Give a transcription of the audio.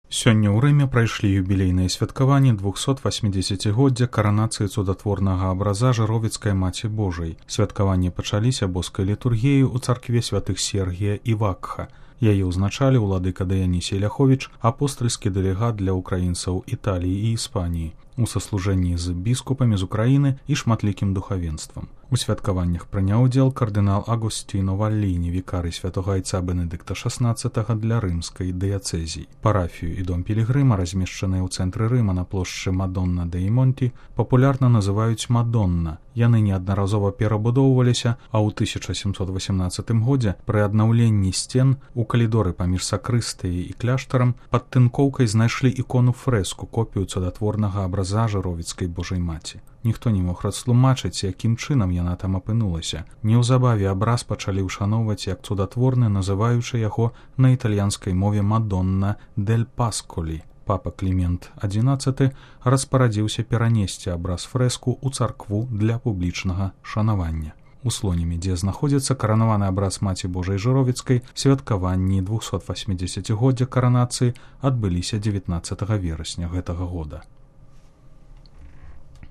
Сёння ў Рыме прайшлі юбілейныя святкаванні 280-годдзя каранацыі цудатворнага абраза Жыровіцкай Маці Божай. Святкаванні пачаліся боскай літургіяй у царкве святых Сергія і Вакха. Яе ўзначалі ўладыка Дыянісій Ляховіч, апостальскі дэлегат для ўкраінцаў Італіі і Іспаніі, у саслужэнні з біскупамі з Украіны і шматлікім духавенствам. У святкаваннях прыняў удзел кардынал Агосціно Валліні, вікарый святога айца Бенедыкта XVI для рымскай дыяцэзіі. Парафію і дом пілігрыма, размешчаныя ў цэнтры Рыма на плошчы Мадонна де Монті, папулярна называюць Мадонна. Яны неаднаразова перабудоўваліся, а ў 1718 годзе пры аднаўленні сцен у калідоры паміж сакрыстыяй і кляштарам пад тынкоўкай знайшлі ікону-фрэску, копію цудатворнага абраза Жыровіцкай Божай Маці. Ніхто не мог растлумачыць, якім чынам яна там апынулася. Неўзабаве абраз пачалі ўшаноўваць як цудатворны, называючы яго на італьянскай мове Мадонна дель Пасколі. Папа Клімент XI распарадзіўся перанесці абраз фрэску ў царкву для публічнага шанавання. У Слонімі, дзе знаходзіцца каранаваны абраз Маці Божай Жыровіцкай, святкаванні 280-годдзя каранацыі адбыліся 19 верасня гэтага года.